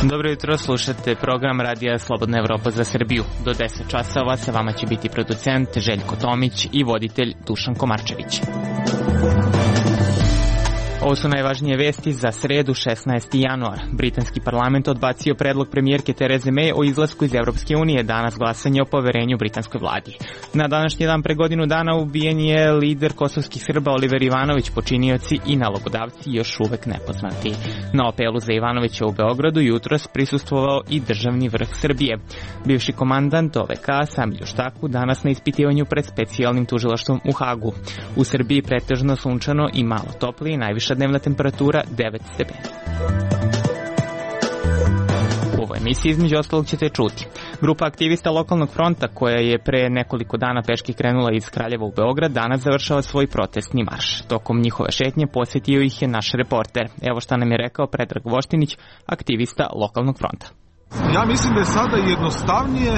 Dobro jutro, slušate program Radija Slobodna Evropa za Srbiju. Do 10 časova sa vama će biti producent Željko Tomić i voditelj Dušan Komarčević. Ovo su najvažnije vesti za sredu 16. januar. Britanski parlament odbacio predlog premijerke Tereze May o izlasku iz Evropske unije, danas glasanje o poverenju britanskoj vladi. Na današnji dan pre godinu dana ubijen je lider kosovskih Srba Oliver Ivanović, počinioci i nalogodavci još uvek nepoznati. Na apelu za Ivanovića u Beogradu jutros prisustvovao i državni vrh Srbije. Bivši komandant OVK Samir Juštaku danas na ispitivanju pred specijalnim tužilaštvom u Hagu. U Srbiji pretežno sunčano i malo toplije, najviša dnevna temperatura 9 stepeni. U ovoj emisiji između ostalog ćete čuti. Grupa aktivista lokalnog fronta koja je pre nekoliko dana peški krenula iz Kraljeva u Beograd danas završava svoj protestni marš. Tokom njihove šetnje posjetio ih je naš reporter. Evo šta nam je rekao Predrag Voštinić, aktivista lokalnog fronta. Ja mislim da je sada jednostavnije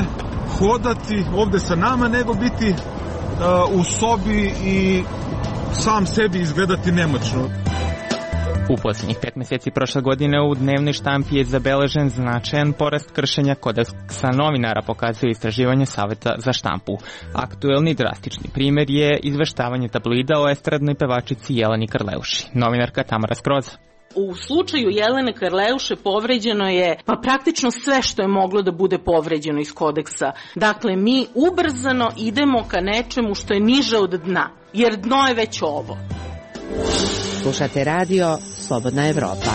hodati ovde sa nama nego biti u sobi i sam sebi izgledati nemoćno. U posljednjih 5 meseci prošle godine u dnevnoj štampi je zabeležen značajan porast kršenja kodeksa novinara, pokazuje istraživanje Saveta za štampu. Aktuelni drastični primjer je izveštavanje tabloida o estradnoj pevačici Jeleni Karleuši. Novinarka Tamara Skroza. U slučaju Jelene Karleuše povređeno je praktično sve što je moglo da bude povređeno iz kodeksa. Dakle, mi ubrzano idemo ka nečemu što je niže od dna, jer dno je već ovo. Slušate radio Slobodna Evropa.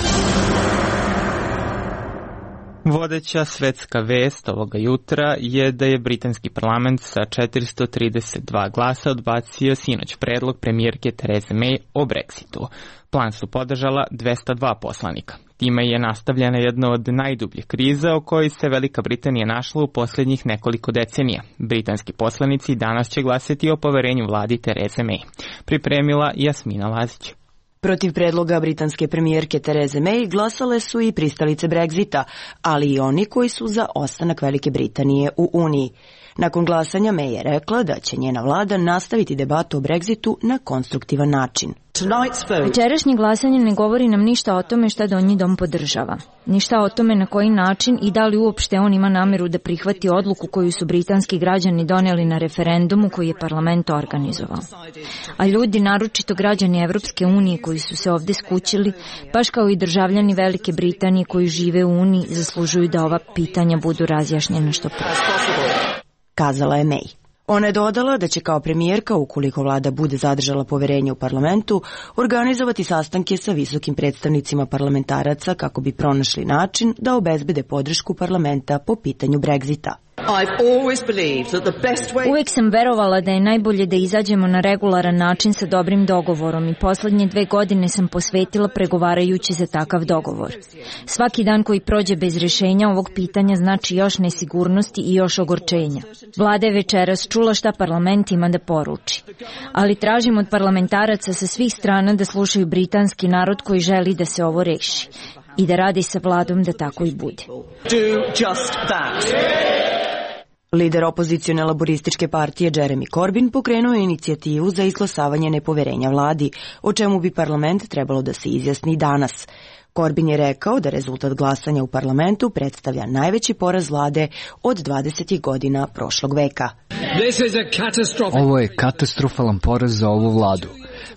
Vodeća svetska vest ovoga jutra je da je britanski parlament sa 432 glasa odbacio sinoć predlog premijerke Tereze May o Brexitu. Plan su podržala 202 poslanika. Time je nastavljena jedna od najdubljih kriza o kojoj se Velika Britanija našla u posljednjih nekoliko decenija. Britanski poslanici danas će glasati o poverenju vladi Tereze May. Pripremila Jasmina Lazić. Protiv predloga britanske premijerke Tereze May glasale su i pristalice Brexita, ali i oni koji su za ostanak Velike Britanije u Uniji. Nakon glasanja May je rekla da će njena vlada nastaviti debatu o Brexitu na konstruktivan način. Večerašnje glasanje ne govori nam ništa o tome šta Donji dom podržava. Ništa o tome na koji način i da li uopšte on ima nameru da prihvati odluku koju su britanski građani doneli na referendumu koji je parlament organizovao. A ljudi, naročito građani Evropske unije koji su se ovde skućili, baš kao i državljani Velike Britanije koji žive u Uniji, zaslužuju da ova pitanja budu razjašnjena što pre. Kazala je May. Ona je dodala da će kao premijerka, ukoliko vlada bude zadržala poverenje u parlamentu, organizovati sastanke sa visokim predstavnicima parlamentaraca kako bi pronašli način da obezbede podršku parlamenta po pitanju Brexita. Uvijek sam verovala da je najbolje da izađemo na regularan način sa dobrim dogovorom i poslednje 2 godine sam posvetila pregovarajući za takav dogovor. Svaki dan koji prođe bez rešenja ovog pitanja znači još nesigurnosti i još ogorčenja. Vlada je večeras čula šta parlament ima da poruči. Ali tražim od parlamentaraca sa svih strana da slušaju britanski narod koji želi da se ovo reši i da radi sa vladom da tako i bude. Lider opozicione laborističke partije Jeremy Corbyn pokrenuo je inicijativu za izglasavanje nepoverenja vladi, o čemu bi parlament trebalo da se izjasni danas. Corbyn je rekao da rezultat glasanja u parlamentu predstavlja najveći poraz vlade od 20. godina prošlog veka. Ovo je katastrofalan poraz za ovu vladu.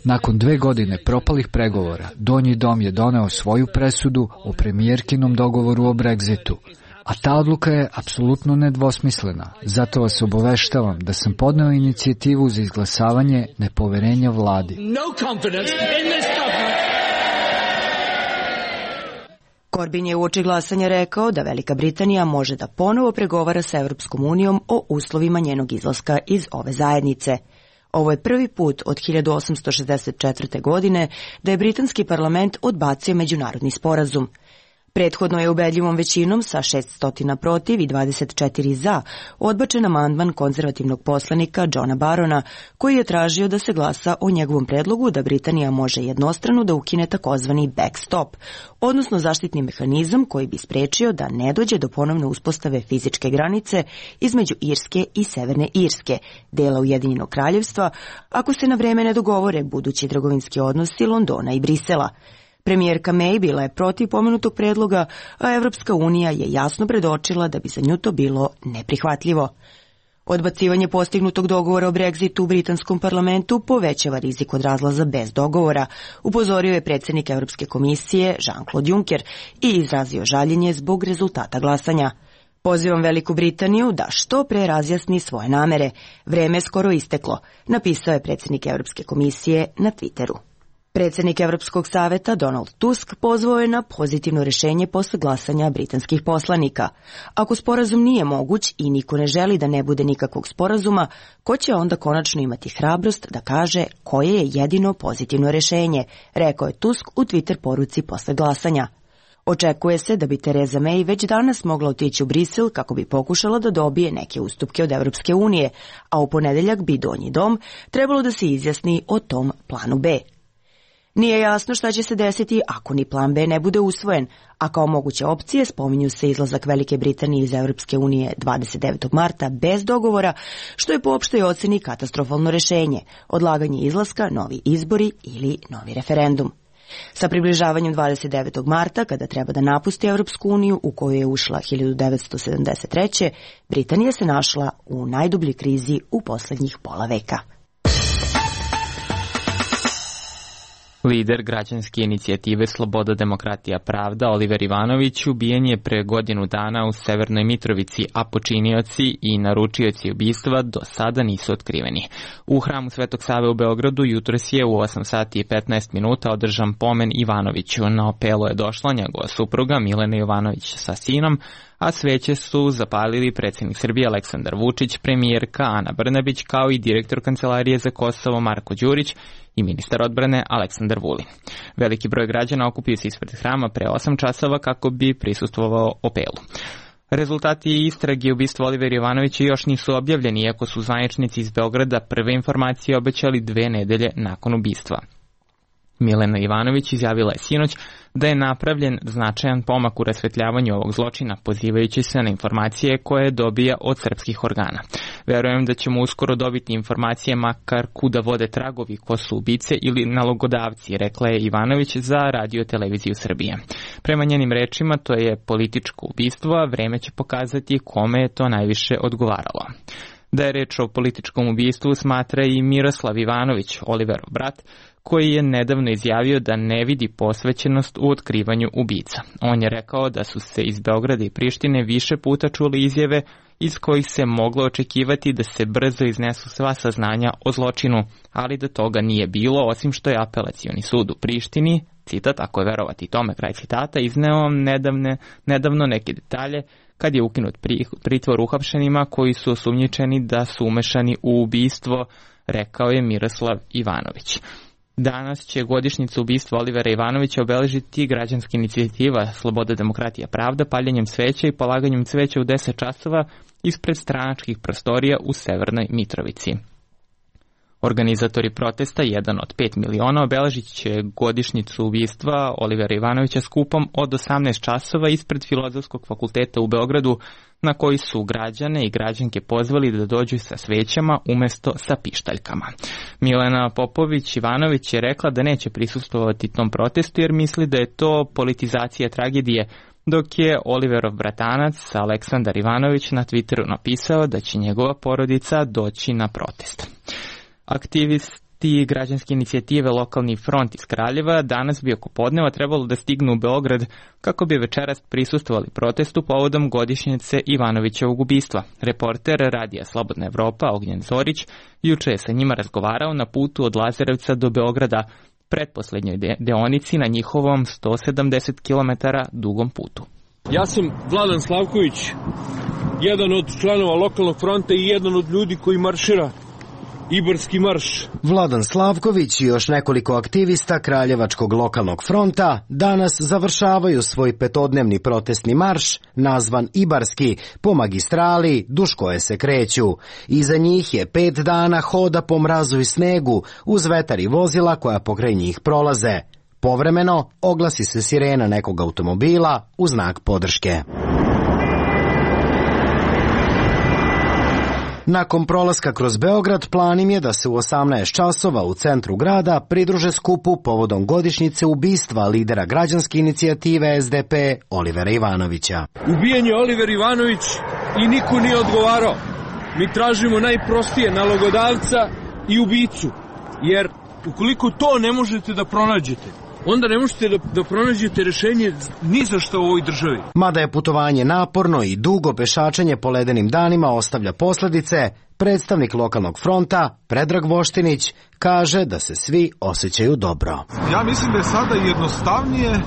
Nakon 2 godine propalih pregovora, Donji dom je doneo svoju presudu o premijerkinom dogovoru o Brexitu. A ta odluka je apsolutno nedvosmislena. Zato vas obaveštavam da sam podneo inicijativu za izglasavanje nepoverenja vladi. Corbyn je uoči glasanja rekao da Velika Britanija može da ponovo pregovara sa Evropskom unijom o uslovima njenog izlaska iz ove zajednice. Ovo je prvi put od 1864. godine da je britanski parlament odbacio međunarodni sporazum. Prethodno je ubedljivom većinom sa 600 protiv i 24 za odbačen amandman konzervativnog poslanika Johna Barona, koji je tražio da se glasa o njegovom predlogu da Britanija može jednostrano da ukine takozvani backstop, odnosno zaštitni mehanizam koji bi sprečio da ne dođe do ponovne uspostave fizičke granice između Irske i Severne Irske, dela Ujedinjenog kraljevstva, ako se na vreme ne dogovore budući trgovinski odnosi Londona i Brisela. Premijerka May bila je protiv pomenutog predloga, a Evropska unija je jasno predočila da bi za nju to bilo neprihvatljivo. Odbacivanje postignutog dogovora o Brexitu u britanskom parlamentu povećava rizik od razlaza bez dogovora, upozorio je predsjednik Evropske komisije Jean-Claude Juncker i izrazio žaljenje zbog rezultata glasanja. Pozivam Veliku Britaniju da što pre razjasni svoje namere. Vreme je skoro isteklo, napisao je predsjednik Evropske komisije na Twitteru. Predsjednik Evropskog saveta Donald Tusk pozvao je na pozitivno rješenje posle glasanja britanskih poslanika. Ako sporazum nije moguć i niko ne želi da ne bude nikakvog sporazuma, ko će onda konačno imati hrabrost da kaže koje je jedino pozitivno rješenje, rekao je Tusk u Twitter poruci posle glasanja. Očekuje se da bi Theresa May već danas mogla otići u Brisel kako bi pokušala da dobije neke ustupke od Evropske unije, a u ponedeljak bi Donji dom trebalo da se izjasni o tom planu B. Nije jasno šta će se desiti ako ni plan B ne bude usvojen, a kao moguće opcije spominju se izlazak Velike Britanije iz Evropske unije 29. marta bez dogovora, što je po opštoj oceni katastrofalno rješenje, odlaganje izlaska, novi izbori ili novi referendum. Sa približavanjem 29. marta, kada treba da napusti Evropsku uniju u koju je ušla 1973. Britanija se našla u najdubljoj krizi u posljednjih pola veka. Lider građanske inicijative Sloboda, demokratija, pravda Oliver Ivanović ubijen je pre godinu dana u Severnoj Mitrovici, a počinioci i naručioci ubistva do sada nisu otkriveni. U hramu Svetog Save u Beogradu jutros je u 8 sati i 15 minuta održan pomen Ivanoviću. Na opelo je došla njegova supruga Milena Jovanović sa sinom, a sveće su zapalili predsjednik Srbije Aleksandar Vučić, premijerka Ana Brnabić, kao i direktor Kancelarije za Kosovo Marko Đurić i ministar odbrane Aleksandar Vulin. Veliki broj građana okupio se ispred hrama pre 8 časova kako bi prisustvovao opelu. Rezultati istrage ubistva Olivera Ivanovića još nisu objavljeni, iako su zvaničnici iz Beograda prve informacije obećali 2 nedelje nakon ubistva. Milena Ivanović izjavila je sinoć da je napravljen značajan pomak u rasvetljavanju ovog zločina, pozivajući se na informacije koje dobija od srpskih organa. Verujem da ćemo uskoro dobiti informacije makar kuda vode tragovi, ko su ubice ili nalogodavci, rekla je Ivanović za Radio Televiziju Srbije. Prema njenim rečima, to je političko ubistvo, a vreme će pokazati kome je to najviše odgovaralo. Da je reč o političkom ubistvu smatra i Miroslav Ivanović, Oliverov brat, koji je nedavno izjavio da ne vidi posvećenost u otkrivanju ubica. On je rekao da su se iz Beograda i Prištine više puta čuli izjave iz kojih se moglo očekivati da se brzo iznesu sva saznanja o zločinu, ali da toga nije bilo, osim što je apelacioni sud u Prištini, citat, ako je verovati tome, kraj citata, izneo nedavno neke detalje kad je ukinut pritvor uhapšenima koji su osumnjičeni da su umešani u ubistvo, rekao je Miroslav Ivanović. Danas će godišnjicu ubistva Olivera Ivanovića obeležiti građanska inicijativa Sloboda, demokratija, pravda paljenjem sveća i polaganjem cveća u 10 časova ispred stranačkih prostorija u Severnoj Mitrovici. Organizatori protesta, jedan od 5 miliona, obeležit će godišnjicu ubistva Olivera Ivanovića skupom od 18 časova ispred Filozofskog fakulteta u Beogradu, na koji su građane i građanke pozvali da dođu sa svećama umesto sa pištaljkama. Milena Popović-Ivanović je rekla da neće prisustvovati tom protestu jer misli da je to politizacija tragedije, dok je Oliverov bratanac Aleksandar Ivanović na Twitteru napisao da će njegova porodica doći na protest. Aktivisti građanske inicijative Lokalni front iz Kraljeva danas bi oko podneva trebalo da stignu u Beograd kako bi večeras prisustvovali protestu povodom godišnjice Ivanovićevog ubistva. Reporter Radija Slobodna Evropa Ognjen Zorić juče je sa njima razgovarao na putu od Lazarevca do Beograda, pretposlednjoj deonici na njihovom 170 km dugom putu. Ja sam Vladan Slavković, jedan od članova Lokalnog fronta i jedan od ljudi koji maršira Ibarski marš. Vladan Slavković i još nekoliko aktivista Kraljevačkog lokalnog fronta danas završavaju svoj petodnevni protestni marš, nazvan Ibarski, po magistrali duž koje se kreću. Iza njih je 5 dana hoda po mrazu i snegu, uz vetar i vozila koja pokraj njih prolaze. Povremeno oglasi se sirena nekog automobila u znak podrške. Nakon prolaska kroz Beograd, plan im je da se u 18 časova u centru grada pridruže skupu povodom godišnjice ubistva lidera građanske inicijative SDP Olivera Ivanovića. Ubijen je Oliver Ivanović i niko nije odgovarao. Mi tražimo najprostije nalogodavca i ubicu, jer ukoliko to ne možete da pronađete, onda ne možete da pronađete rešenje ni za što u ovoj državi. Mada je putovanje naporno i dugo pešačenje po ledenim danima ostavlja posledice, predstavnik lokalnog fronta, Predrag Voštinić, kaže da se svi osjećaju dobro. Ja mislim da je sada jednostavnije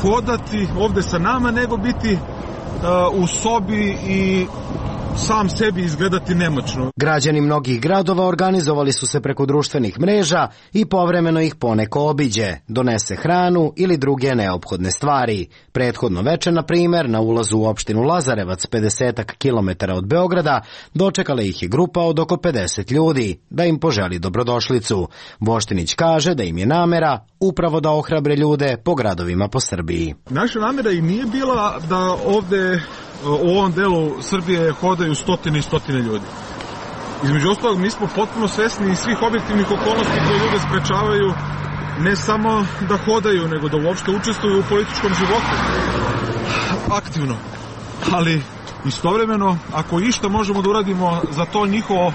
hodati ovde sa nama nego biti u sobi i sam sebi izgledati nemoćno. Građani mnogih gradova organizovali su se preko društvenih mreža i povremeno ih poneko obiđe, donese hranu ili druge neophodne stvari. Prethodno veče, na primjer, na ulazu u opštinu Lazarevac, 50 kilometara od Beograda, dočekala ih je grupa od oko 50 ljudi, da im poželi dobrodošlicu. Voštinić kaže da im je namera upravo da ohrabre ljude po gradovima po Srbiji. Naša namera i nije bila da ovde u ovom delu Srbije hodaju stotine i stotine ljudi. Između ostalog, mi smo potpuno svesni svih objektivnih okolnosti koje ljude sprečavaju ne samo da hodaju, nego da uopšte učestvuju u političkom životu. Aktivno. Ali istovremeno, ako išta možemo da uradimo za to njihovo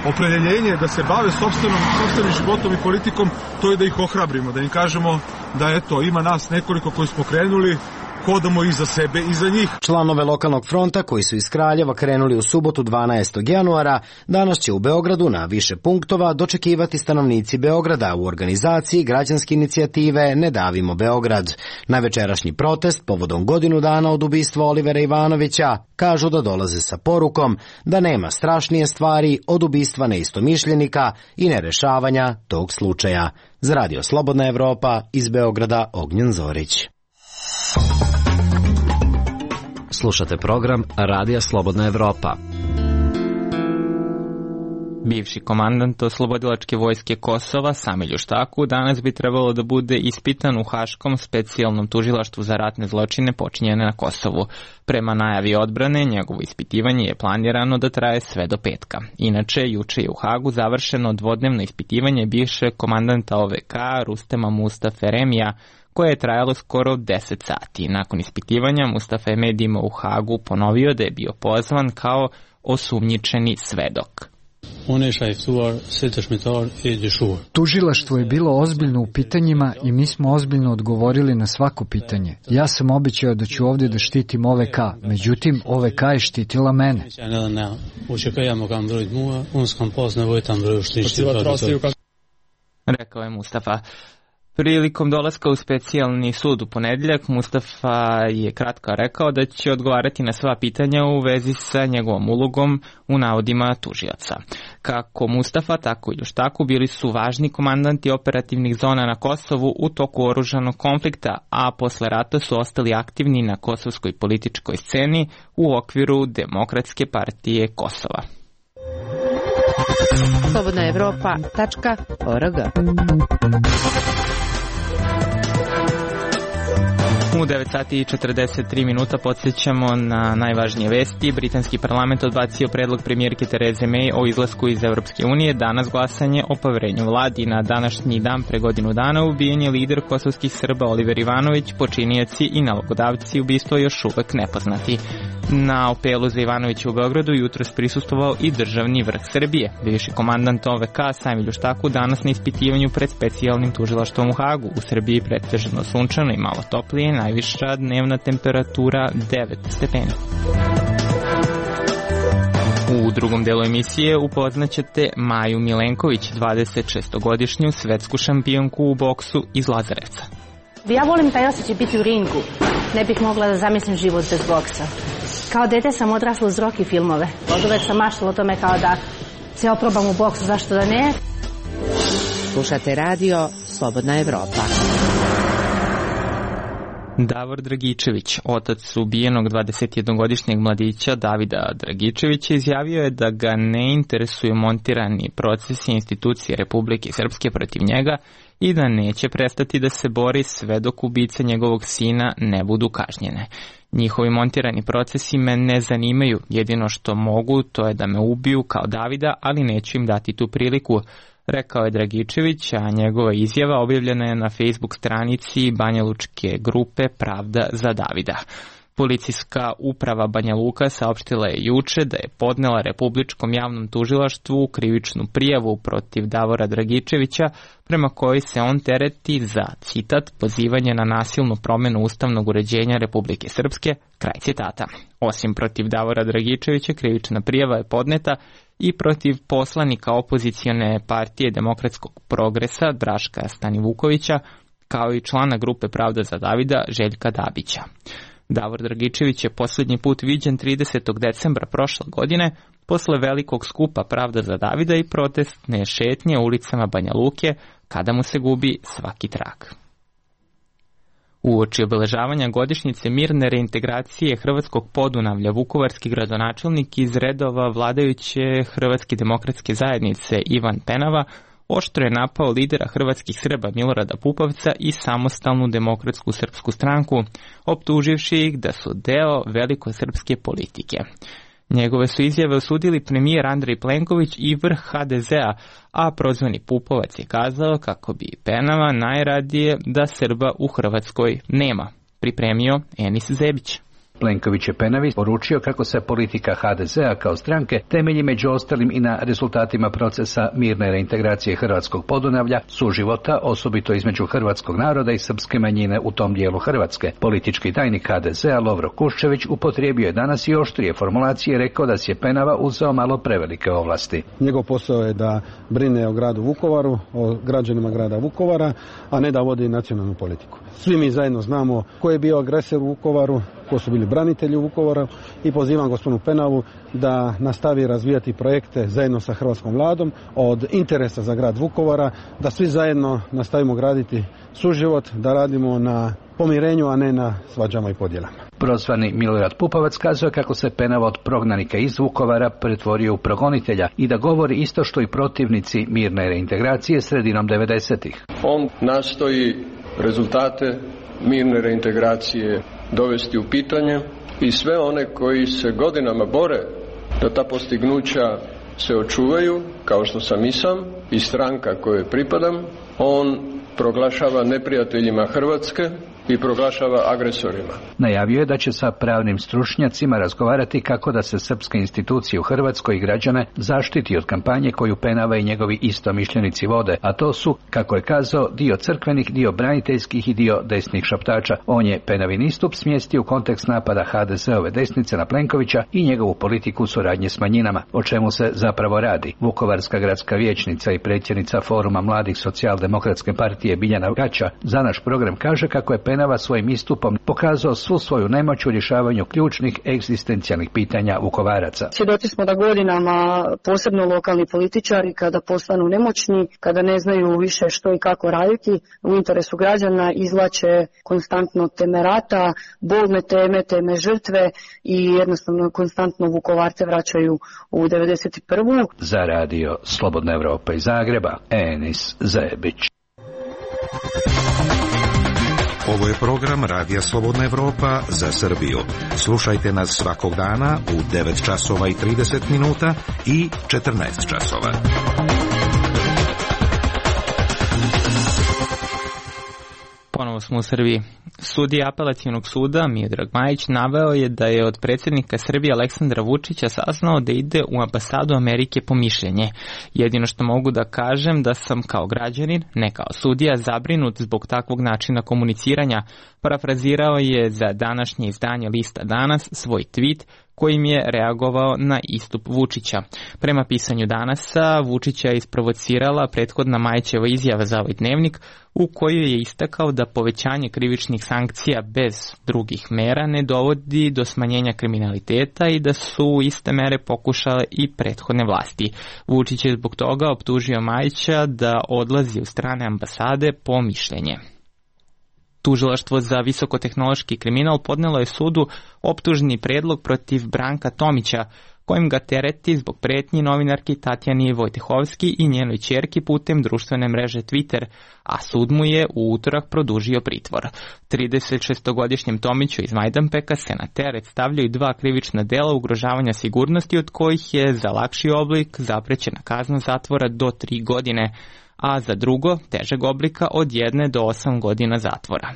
opredjeljenje da se bave sopstvenim životom i politikom, to je da ih ohrabrimo, da im kažemo da eto, ima nas nekoliko koji smo krenuli, hodamo i za sebe i za njih. Članove lokalnog fronta koji su iz Kraljeva krenuli u subotu 12. januara, danas će u Beogradu na više punktova dočekivati stanovnici Beograda u organizaciji građanske inicijative Ne davimo Beograd. Na večerašnji protest povodom godinu dana od ubistva Olivera Ivanovića kažu da dolaze sa porukom da nema strašnije stvari od ubistva neistomišljenika i nerešavanja tog slučaja. Za Radio Slobodna Evropa, iz Beograda, Ognjen Zorić. Slušate program Radija Slobodna Evropa. Bivši komandant Oslobodilačke vojske Kosova, Samir Štaku, danas bi trebalo da bude ispitan u Haškom specijalnom tužilaštvu za ratne zločine počinjene na Kosovu. Prema najavi odbrane, njegovo ispitivanje je planirano da traje sve do petka. Inače, juče je u Hagu završeno dvodnevno ispitivanje bivšeg komandanta OVK Rustema Mustafe Remija, koje je trajalo skoro 10 sati. Nakon ispitivanja, Mustafa je medijima u Hagu ponovio da je bio pozvan kao osumnjičeni svedok. Tužilaštvo je bilo ozbiljno u pitanjima i mi smo ozbiljno odgovorili na svako pitanje. Ja sam obećao da ću ovdje da štitim OVK, međutim OVK je štitila mene. Rekao je Mustafa. Prilikom dolaska u specijalni sud u ponedjeljak, Mustafa je kratko rekao da će odgovarati na sva pitanja u vezi sa njegovom ulogom u navodima tužioca. Kako Mustafa, tako i Štaku bili su važni komandanti operativnih zona na Kosovu u toku oružanog konflikta, a posle rata su ostali aktivni na kosovskoj političkoj sceni u okviru Demokratske partije Kosova. Slobodnaevropa.org. U 9 sati i 43 minuta podsjećamo na najvažnije vesti. Britanski parlament odbacio predlog premijerke Tereze May o izlasku iz Evropske unije. Danas glasanje o poverenju vladi. Na današnji dan pre godinu dana ubijen je lider kosovskih Srba Oliver Ivanović, počinioci i nalogodavci ubistva još uvek nepoznati. Na apelu za Ivanovića u Beogradu jutros prisustvovao i državni vrh Srbije. Bivši komandant OVK Samir Štaku danas na ispitivanju pred specijalnim tužilaštvom u Hagu. U Srbiji pretežno sunčano i malo toplije, najviša dnevna temperatura 9 stepeni. U drugom delu emisije upoznaćete Maju Milenković, 26-godišnju svetsku šampionku u boksu iz Lazarevca. Ja volim taj osjećaj biti u ringu. Ne bih mogla da zamislim život bez boksa. Kao dete sam odrasla uz Rocky filmove. Od uvek sam maštala o tome kao da se oprobam u boksu, zašto da ne? Slušate radio Slobodna Evropa. Davor Dragičević, otac ubijenog 21-godišnjeg mladića Davida Dragičevića, izjavio je da ga ne interesuju montirani procesi institucije Republike Srpske protiv njega i da neće prestati da se bori sve dok ubice njegovog sina ne budu kažnjene. Njihovi montirani procesi me ne zanimaju, jedino što mogu to je da me ubiju kao Davida, ali neću im dati tu priliku, rekao je Dragičević, a njegova izjava objavljena je na Facebook stranici banjalučke grupe Pravda za Davida. Policijska uprava Banja Luka saopštila je juče da je podnela Republičkom javnom tužilaštvu krivičnu prijavu protiv Davora Dragičevića, prema kojoj se on tereti za, citat, pozivanje na nasilnu promjenu ustavnog uređenja Republike Srpske, kraj citata. Osim protiv Davora Dragičevića, krivična prijava je podneta i protiv poslanika opozicione partije Demokratskog progresa Draška Stanivukovića, kao i člana grupe Pravda za Davida Željka Dabića. Davor Dragičević je posljednji put viđen 30. decembra prošle godine posle velikog skupa Pravda za Davida i protestne šetnje ulicama Banja Luke, kada mu se gubi svaki trag. Uoči obeležavanja godišnjice mirne reintegracije Hrvatskog Podunavlja, vukovarski gradonačelnik iz redova vladajuće Hrvatske demokratske zajednice Ivan Penava oštro je napao lidera hrvatskih Srba Milorada Pupovca i Samostalnu demokratsku srpsku stranku, optuživši ih da su deo velikosrpske politike. Njegove su izjave osudili premijer Andrej Plenković i vrh HDZ-a, a prozvani Pupovac je kazao kako bi Penava najradije da Srba u Hrvatskoj nema. Pripremio Enis Zebić. Plenković je Penavi poručio kako se politika HDZ-a kao stranke temelji među ostalim i na rezultatima procesa mirne reintegracije Hrvatskog Podunavlja, suživota, osobito između hrvatskog naroda i srpske manjine u tom dijelu Hrvatske. Politički tajnik HDZ-a Lovro Kuščević upotrijebio je danas i oštrije formulacije i rekao da si je Penava uzeo malo prevelike ovlasti. Njegov posao je da brine o gradu Vukovaru, o građanima grada Vukovara, a ne da vodi nacionalnu politiku. Svi mi zajedno znamo ko je bio agresor u Vukovaru, ko su bili branitelji u Vukovaru i pozivam gospodinu Penavu da nastavi razvijati projekte zajedno sa hrvatskom vladom od interesa za grad Vukovara, da svi zajedno nastavimo graditi suživot, da radimo na pomirenju, a ne na svađama i podjelama. Prozvani Milorad Pupovac kazuje kako se Penava od prognanika iz Vukovara pretvorio u progonitelja i da govori isto što i protivnici mirne reintegracije sredinom 90-ih. On nastoji rezultate mirne reintegracije dovesti u pitanje i sve one koji se godinama bore da ta postignuća se očuvaju, kao što sam i sam i stranka kojoj pripadam, on proglašava neprijateljima Hrvatske i proglašava agresorima. Najavio je da će sa pravnim stručnjacima razgovarati kako da se srpske institucije u Hrvatskoj i građane zaštiti od kampanje koju Penava i njegovi istomišljenici vode, a to su, kako je kazao, dio crkvenih, dio braniteljskih i dio desnih šaptača. On je Penavin istup smjestio u kontekst napada HDZ-ove desnice na Plenkovića i njegovu politiku suradnje s manjinama. O čemu se zapravo radi? Vukovarska gradska vijećnica i predsjednica Foruma mladih socijaldemokratske partije Biljana Gaća za naš program kaže kako je Penava svojim istupom pokazao svu svoju nemoć u rješavanju ključnih egzistencijalnih pitanja Vukovaraca. Svjedoci smo da godinama, posebno lokalni političari, kada postanu nemoćni, kada ne znaju više što i kako raditi u interesu građana, izvlače konstantno teme rata, bolne teme žrtve i jednostavno konstantno Vukovarce vraćaju u 91. Za radio Slobodna Evropa iz Zagreba, Enis Zebić. Ovo je program Radija Slobodna Evropa za Srbiju. Slušajte nas svakog dana u 9 časova i 30 minuta i 14 časova. Ponovo smo u Srbiji. Sudija Apelacionog suda Miodrag Majić naveo je da je od predsjednika Srbije Aleksandra Vučića saznao da ide u ambasadu Amerike po mišljenje. Jedino što mogu da kažem da sam kao građanin, ne kao sudija, zabrinut zbog takvog načina komuniciranja, parafrazirao je za današnje izdanje Lista Danas svoj tweet kojim je reagovao na istup Vučića. Prema pisanju Danasa, Vučića je isprovocirala prethodna Majićeva izjava za ovaj dnevnik, u kojoj je istakao da povećanje krivičnih sankcija bez drugih mera ne dovodi do smanjenja kriminaliteta i da su iste mere pokušale i prethodne vlasti. Vučić je zbog toga optužio Majića da odlazi u strane ambasade po mišljenje. Tužilaštvo za visokotehnološki kriminal podnelo je sudu optužni predlog protiv Branka Tomića, kojim ga tereti zbog pretnji novinarki Tatjani Vojtehovski i njenoj ćerki putem društvene mreže Twitter, a sud mu je u utorak produžio pritvor. 36-godišnjem Tomiću iz Majdanpeka se na teret stavljaju 2 krivična dela ugrožavanja sigurnosti, od kojih je za lakši oblik zaprećena kazna zatvora do 3 godine, a za drugo, težeg oblika, od 1 do 8 godina zatvora.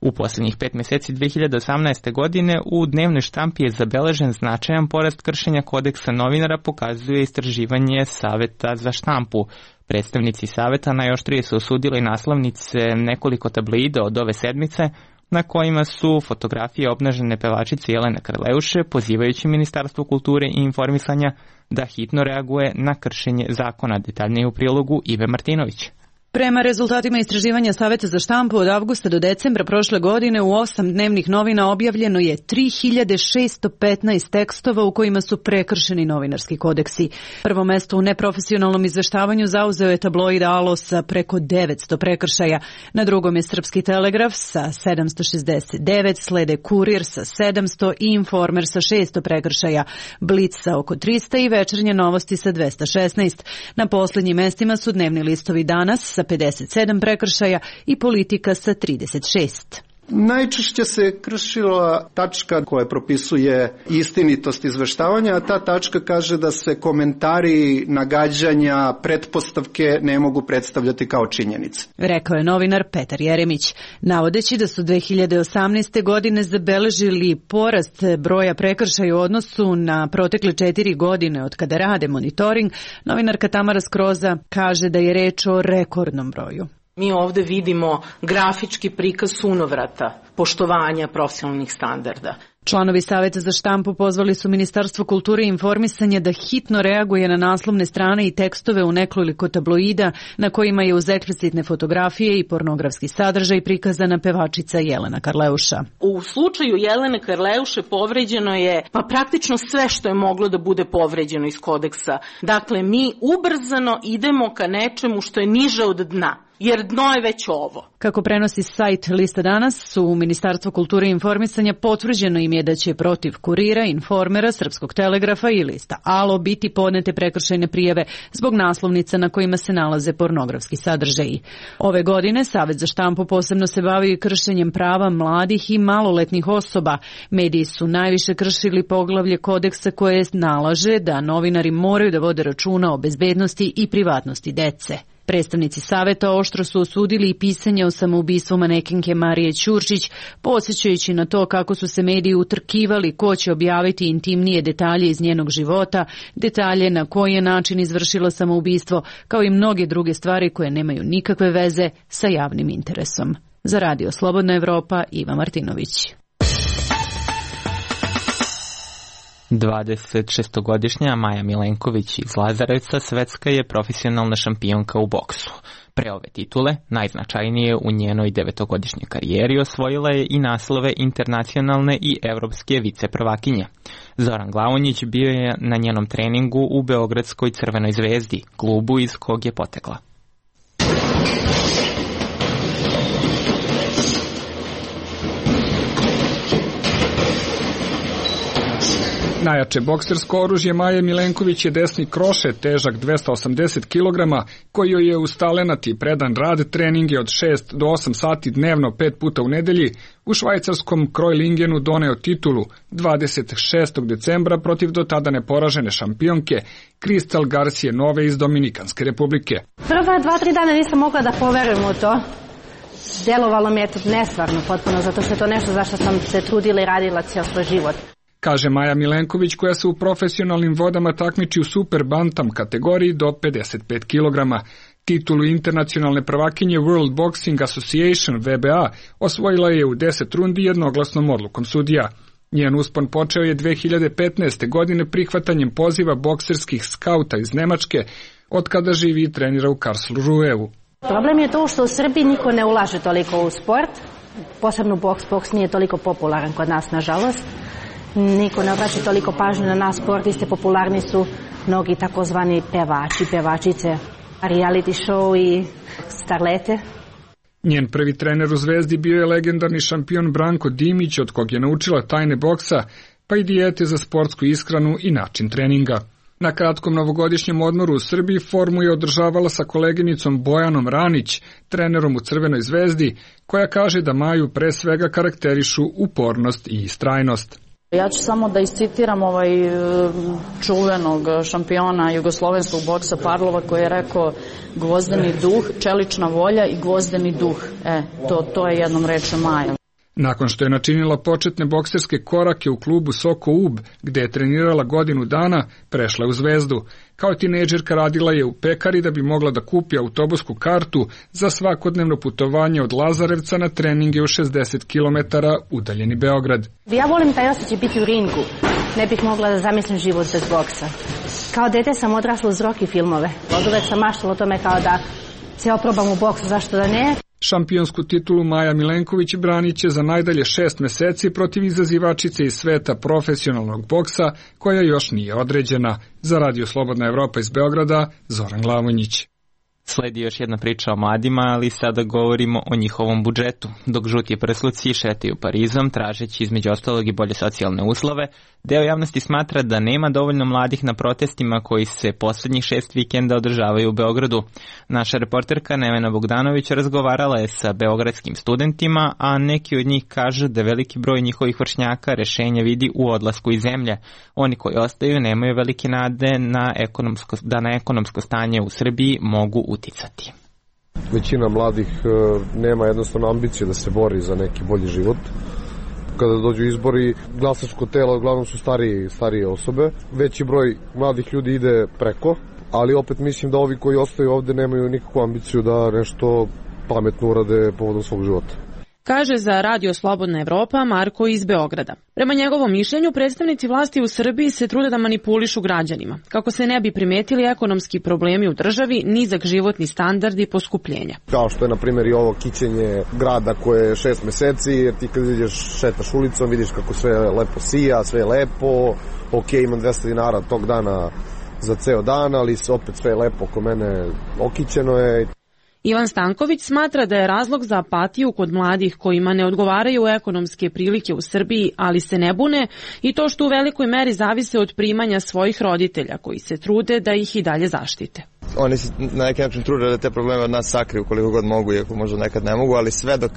U posljednjih 5 mjeseci 2018. godine u dnevnoj štampi je zabeležen značajan porast kršenja kodeksa novinara, pokazuje istraživanje Saveta za štampu. Predstavnici Saveta najoštrije su osudili naslovnice nekoliko tabloida od ove sedmice, na kojima su fotografije obnažene pevačice Jelene Karleuše, pozivajući Ministarstvo kulture i informisanja da hitno reaguje na kršenje zakona. Detaljnije u prilogu Ive Martinović. Prema rezultatima istraživanja Saveta za štampu od avgusta do decembra prošle godine u 8 dnevnih novina objavljeno je 3615 tekstova u kojima su prekršeni novinarski kodeksi. Prvo mesto u neprofesionalnom izveštavanju zauzeo je tabloid Alo sa preko 900 prekršaja. Na drugom je Srpski telegraf sa 769, slede Kurir sa 700 i Informer sa 600 prekršaja, Blic sa oko 300 i Večernje novosti sa 216. Na posljednjim mestima su dnevni listovi Danas sa 57 prekršaja i Politika sa 36. Najčešće se kršila tačka koja propisuje istinitost izveštavanja, a ta tačka kaže da se komentari, nagađanja, pretpostavke ne mogu predstavljati kao činjenice. Rekao je novinar Petar Jeremić. Navodeći da su 2018. godine zabeležili porast broja prekršaja u odnosu na protekle 4 godine od kada rade monitoring, novinarka Tamara Skroza kaže da je reč o rekordnom broju. Mi ovde vidimo grafički prikaz sunovrata poštovanja profesionalnih standarda. Članovi Saveta za štampu pozvali su Ministarstvo kulture i informisanja da hitno reaguje na naslovne strane i tekstove u nekoliko tabloida na kojima je uz eksplicitne fotografije i pornografski sadržaj prikazana pevačica Jelena Karleuša. U slučaju Jelene Karleuše povređeno je praktično sve što je moglo da bude povređeno iz kodeksa. Dakle, mi ubrzano idemo ka nečemu što je niže od dna. Jer dno je već ovo. Kako prenosi sajt Lista danas, u Ministarstvu kulture i informisanja potvrđeno im je da će protiv Kurira, Informera, Srpskog telegrafa i Lista Alo biti podnete prekršajne prijave zbog naslovnica na kojima se nalaze pornografski sadržaji. Ove godine Savet za štampu posebno se bavi i kršenjem prava mladih i maloletnih osoba. Mediji su najviše kršili poglavlje kodeksa koje nalaže da novinari moraju da vode računa o bezbednosti i privatnosti dece. Predstavnici Saveta oštro su osudili i pisanje o samoubistvu manekenke Marije Ćurčić, podsjećajući na to kako su se mediji utrkivali ko će objaviti intimnije detalje iz njenog života, detalje na koji je način izvršila samoubistvo, kao i mnoge druge stvari koje nemaju nikakve veze sa javnim interesom. Za Radio Slobodna Evropa, Iva Martinović. 26-godišnja Maja Milenković iz Lazarevca svetska je profesionalna šampionka u boksu. Pre ove titule, najznačajnije u njenoj 9-godišnjoj karijeri, osvojila je i naslove internacionalne i evropske viceprvakinje. Zoran Glavonjić bio je na njenom treningu u Beogradskoj Crvenoj zvezdi, klubu iz kog je potekla. Najjače boksersko oružje Maje Milenković je desni krošet težak 280 kg, koji joj je uz talenat i predan rad treninge od 6 do 8 sati dnevno 5 puta u nedelji u švajcarskom Krojlingenu doneo titulu 26. decembra protiv do tada neporažene šampionke Kristal Garcije Nove iz Dominikanske republike. Prva 2-3 dana nisam mogla da poverujem u to. Delovalo mi je to nesvarno potpuno, zato što je to nešto zašto sam se trudila i radila cijel svoj život. Kaže Maja Milenković, koja se u profesionalnim vodama takmiči u super bantam kategoriji do 55 kg. Titulu internacionalne prvakinje World Boxing Association WBA osvojila je u 10 rundi jednoglasnom odlukom sudija. Njen uspon počeo je 2015. godine prihvatanjem poziva bokserskih skauta iz Nemačke, od kada živi i trenira u Karlsruheu. Problem je to što u Srbiji niko ne ulaže toliko u sport, posebno boks nije toliko popularan kod nas, nažalost. Niko ne obraća toliko pažnje na nas sportiste, popularni su mnogi takozvani pevači, pevačice, reality show i starlete. Njen prvi trener u Zvezdi bio je legendarni šampion Branko Dimić, od kog je naučila tajne boksa, pa i dijete za sportsku ishranu i način treninga. Na kratkom novogodišnjem odmoru u Srbiji formu je održavala sa koleginicom Bojanom Ranić, trenerom u Crvenoj Zvezdi, koja kaže da Maju pre svega karakterišu upornost i istrajnost. Ja ću samo da iscitiram čuvenog šampiona jugoslovenskog boksa Parlova koji je rekao gvozdeni duh, čelična volja i gvozdeni duh. To je jednom reče Maja. Nakon što je načinila početne bokserske korake u klubu Soko Ub, gde je trenirala godinu dana, prešla je u Zvezdu. Kao tinejdžerka radila je u pekari da bi mogla da kupi autobusku kartu za svakodnevno putovanje od Lazarevca na treninge u 60 km udaljeni Beograd. Ja volim taj osjećaj biti u ringu. Ne bih mogla da zamislim život bez boksa. Kao dete sam odrasla uz Rocky filmove. Od uvek sam maštala o tome kao da se oprobam u boksu, zašto da ne. Šampionsku titulu Maja Milenković branit će za najdalje 6 meseci protiv izazivačice iz sveta profesionalnog boksa, koja još nije određena. Za Radio Slobodna Evropa iz Beograda, Zoran Glavonjić. Sledi još jedna priča o mladima, ali sada govorimo o njihovom budžetu. Dok žuti prsluci šetaju Parizom, tražeći između ostalog i bolje socijalne uslove, deo javnosti smatra da nema dovoljno mladih na protestima koji se poslednjih 6 vikenda održavaju u Beogradu. Naša reporterka Nevena Bogdanović razgovarala je sa beogradskim studentima, a neki od njih kažu da veliki broj njihovih vršnjaka rešenja vidi u odlasku iz zemlje. Oni koji ostaju nemaju velike nade da na ekonomsko stanje u Srbiji mogu uticati. Većina mladih nema jednostavno ambicije da se bori za neki bolji život. Kada dođu izbori, glasačko telo uglavnom su starije osobe. Veći broj mladih ljudi ide preko, ali opet mislim da ovi koji ostaju ovde nemaju nikakvu ambiciju da nešto pametno urade povodom svog života. Kaže za Radio Slobodna Evropa Marko iz Beograda. Prema njegovom mišljenju, predstavnici vlasti u Srbiji se trude da manipulišu građanima, kako se ne bi primetili ekonomski problemi u državi, nizak životni standard i poskupljenja. Kao što je, na primjer, i ovo kićenje grada koje je 6 meseci, jer ti kad ideš šetaš ulicom, vidiš kako sve lepo sija, sve je lepo, ok, imam 200 dinara tog dana za ceo dan, ali opet sve je lepo oko mene, okićeno je. Ivan Stanković smatra da je razlog za apatiju kod mladih kojima ne odgovaraju ekonomske prilike u Srbiji, ali se ne bune, i to što u velikoj meri zavise od primanja svojih roditelja koji se trude da ih i dalje zaštite. Oni se na neki način trude da te probleme od nas sakriju koliko god mogu, iako možda nekad ne mogu, ali sve dok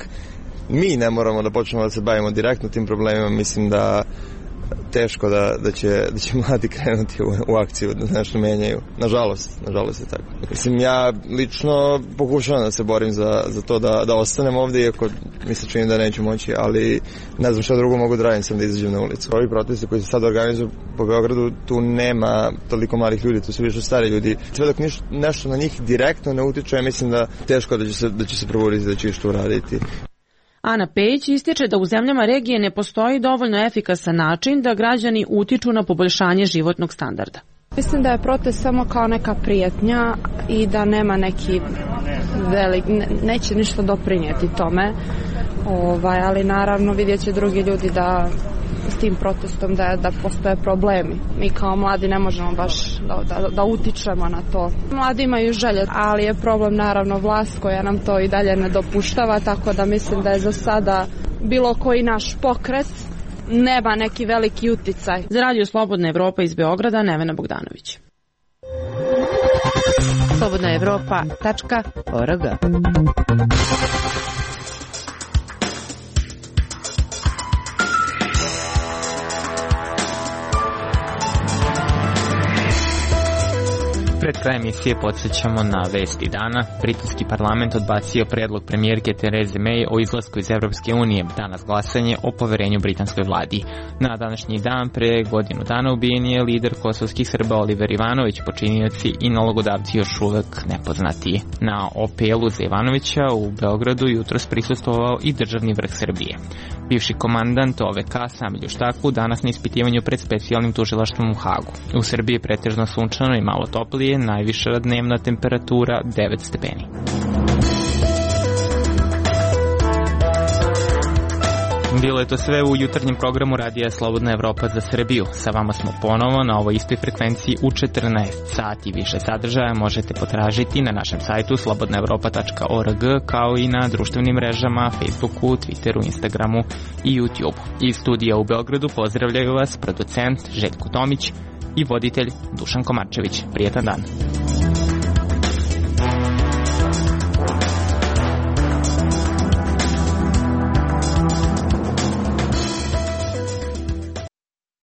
mi ne moramo da počnemo da se bavimo direktno tim problemima, mislim da teško da će mladi krenuti u akciju, da nešto menjaju. Nažalost je tako. Mislim, ja lično pokušavam da se borim za to da ostanem ovde, iako mi se čini da neću moći, ali ne znam šta drugo mogu da radim, sam da izađem na ulicu. Ovi protesti koji se sad organizuju po Beogradu, tu nema toliko malih ljudi, tu su više stari ljudi. Sve dok nešto na njih direktno ne utiče, mislim da teško da će se provoditi, da će što uraditi. Ana Pejić ističe da u zemljama regije ne postoji dovoljno efikasan način da građani utiču na poboljšanje životnog standarda. Mislim da je protest samo kao neka prijetnja i da nema neki neće ništa doprinijeti tome, ali naravno vidjet će drugi ljudi da s tim protestom da postoje problemi. Mi kao mladi ne možemo baš da utičemo na to. Mladi imaju želje, ali je problem naravno vlast koja nam to i dalje ne dopuštava, tako da mislim da je za sada bilo koji naš pokret nema neki veliki uticaj. Za Radio Slobodna Evropa iz Beograda, Nevena Bogdanović. slobodnaevropa.org. Pred kraj emisije podsjećamo na vesti dana. Britanski parlament odbacio predlog premijerke Therese May o izlasku iz Evropske unije. Danas glasanje o poverenju britanskoj vladi. Na današnji dan pre godinu dana ubijen je lider kosovskih Srba Oliver Ivanović, počinioci i nalogodavci još uvek nepoznati. Na OPL-u za Ivanovića u Beogradu jutros prisustvovao i državni vrh Srbije. Bivši komandant OVK Samilju Štaku danas na ispitivanju pred specijalnim tužilaštvom u Hagu. U Srbiji je pretežno sunčano i malo toplije, najviša dnevna temperatura 9 stepeni. Bilo je to sve u jutarnjem programu Radija Slobodna Evropa za Srbiju. Sa vama smo ponovo na ovoj istoj frekvenciji u 14 sati. Više sadržaja možete potražiti na našem sajtu slobodnaevropa.org, kao i na društvenim mrežama Facebooku, Twitteru, Instagramu i YouTubeu. Iz studija u Beogradu pozdravljaju vas producent Željko Tomić i voditelj Dušan Komarčević. Prijetan dan.